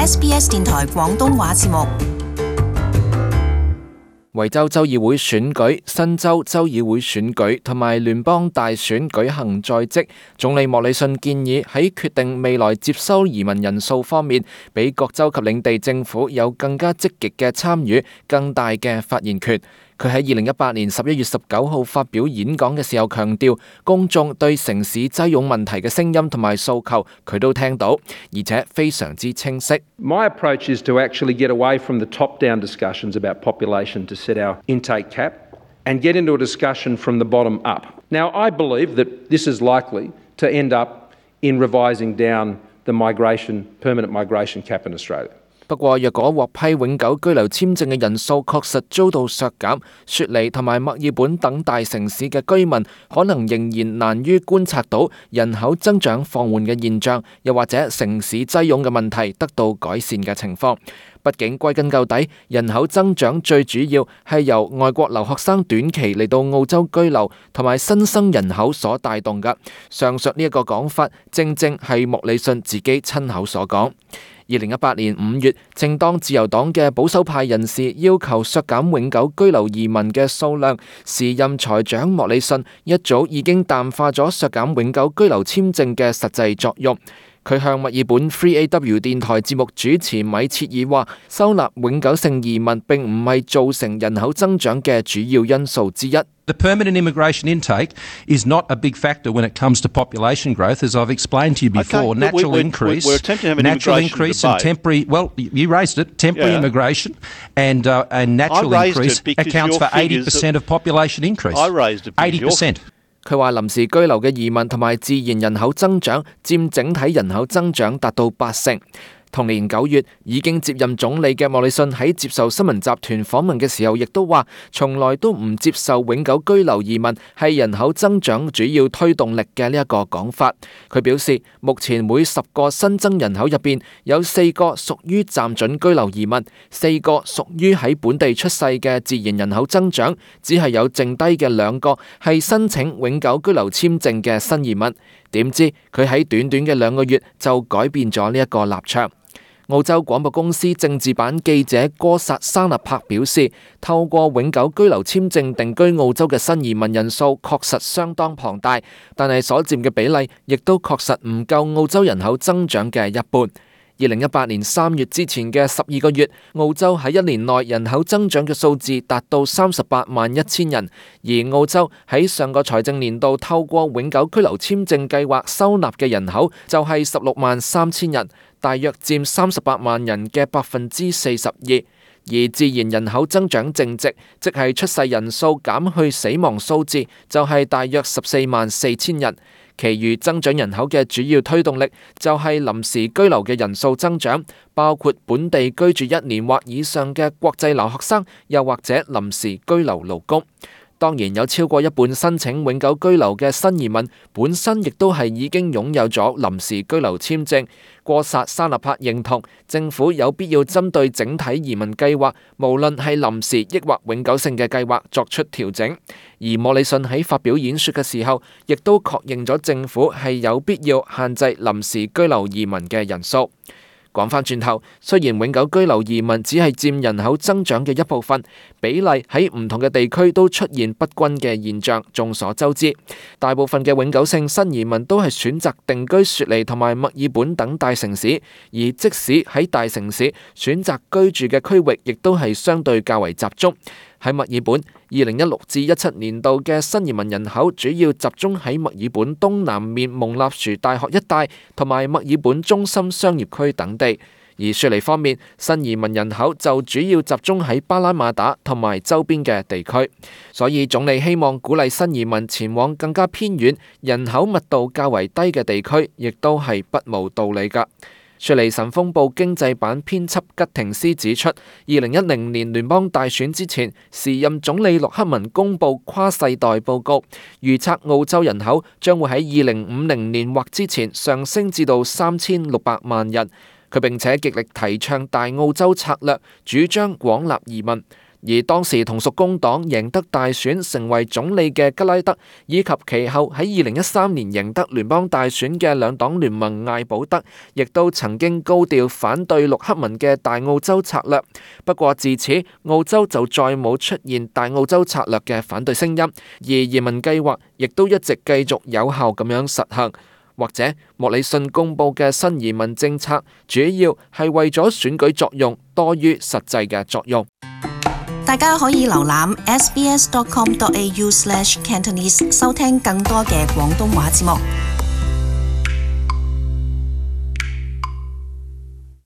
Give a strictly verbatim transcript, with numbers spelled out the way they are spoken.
S B S 電台廣東話節目。維州州議會選舉、新州州議會選舉同埋聯邦大選舉行在即，總理莫里遜建議喺決定未來接收移民人數方面，俾各州及領地政府有更加積極嘅參與，更大嘅發言權。佢喺二零一八年十一月十九號發表演講嘅時候強調，公眾對城市擠擁問題嘅聲音同埋訴求，佢都聽到，而且非常之清晰。My approach is to actually get away from the top-down discussions about population to set our intake cap and get into a discussion from the bottom up. Now, I believe that this is likely to end up in revising down the migration, permanent migration cap in Australia. 不過，若果獲批永久居留簽證嘅人數確實遭到削減，雪梨同埋墨爾本等大城市嘅居民可能仍然難於觀察到人口增長放緩嘅現象，又或者城市擠擁嘅問題得到改善嘅情況。畢竟歸根究底，人口增長最主要係由外國留學生短期嚟到澳洲居留同埋新生人口所帶動㗎。上述呢一個講法，正正係莫里遜自己親口所講。二零一八年五月，正當自由黨嘅保守派人士要求削減永久居留移民嘅數量，時任財長莫里遜一早已經淡化咗削減永久居留簽證嘅實際作用。佢向墨爾本 Three A W 電台節目主持米切爾話，收納永久性移民並唔係造成人口增長嘅主要因素之一。The permanent immigration intake is not a big factor when it comes to population growth, as I've explained to you before. Okay, natural we, we, increase, we're attempting to have an natural immigration increase debate. and temporary. Well, you raised it. Temporary Yeah. immigration and uh, and natural I raised increase it because accounts your for eighty figures percent of population increase. I raised it because eighty your- percent. 佢話臨時居留嘅移民同埋自然人口增長佔整體人口增長達到八成。同年九月已經接任總理嘅莫里遜喺接受新聞集團訪問嘅時候，亦都話從來都唔接受永久居留移民係人口增長主要推動力嘅呢一個講法。佢表示，目前每十個新增人口入邊有四個屬於暫准居留移民，四個屬於喺本地出世嘅自然人口增長，只係有剩低嘅兩個係申請永久居留簽證嘅新移民。點知佢喺短短嘅兩個月就改變咗呢一個立場。澳洲廣播公司政治版記者哥薩沙納柏表示，透過永久居留簽證定居澳洲嘅新移民人數確實相當龐大，但係所佔嘅比例亦都確實唔夠澳洲人口增長嘅一半。二零一八年三月之前嘅十二個月，澳洲喺一年內人口增長嘅數字達到三十八萬一千人，而澳洲喺上個財政年度透過永久居留簽證計劃收納嘅人口就係十六萬三千人，大約佔三十八萬人嘅百分之四十二。而自然人口增長淨值，即係出世人數減去死亡數字，就係大約十四萬四千人。其餘增長人口嘅主要推動力就係臨時居留嘅人數增長，包括本地居住一年或以上嘅國際留學生，又或者臨時居留勞工。當然有超過一半申請永久居留嘅新移民本身亦都係已經擁有咗臨時居留簽證。過薩沙納帕認同政府有必要針對整體移民計劃，無論係臨時抑或永久性嘅計劃作出調整。而莫里遜喺發表演說嘅時候，亦都確認咗政府係有必要限制臨時居留移民嘅人數。講返轉頭，雖然永久居留移民只係佔人口增長嘅一部分，比例喺唔同嘅地區都出現不均嘅現象，眾所周知。大部分嘅永久性新移民都係選擇定居雪梨同埋墨爾本等大城市，而即使喺大城市選擇居住嘅區域，亦都係相對較為集中。喺墨爾本，二零一六至一七年度嘅新移民人口主要集中喺墨爾本東南面蒙納殊大學一帶同埋墨爾本中心商業區等地。而雪梨方面，新移民人口就主要集中喺巴拉馬打同埋周邊嘅地區。所以總理希望鼓勵新移民前往更加偏遠、人口密度較為低嘅地區，亦都係不無道理㗎。雪梨晨鋒報經濟版編輯吉廷斯指出，二零一零年聯邦大選之前，時任總理陸克文公布跨世代報告，預測澳洲人口將會喺二零五零年或之前上升至到三千六百萬人。佢並且極力提倡大澳洲策略，主張廣納移民。而當時同屬工黨贏得大選成為總理嘅吉拉德，以及其後喺二零一三年贏得聯邦大選嘅兩黨聯盟艾保德，亦都曾經高調反對陸克文嘅大澳洲策略。不過自此，澳洲就再冇出現大澳洲策略嘅反對聲音，而移民計劃亦都一直繼續有效咁樣實行。或者莫里遜公布嘅新移民政策，主要係為咗選舉作用多於實際嘅作用。大家可以瀏覽 s b s dot com dot a u slash cantonese 收聽更多嘅廣東話節目。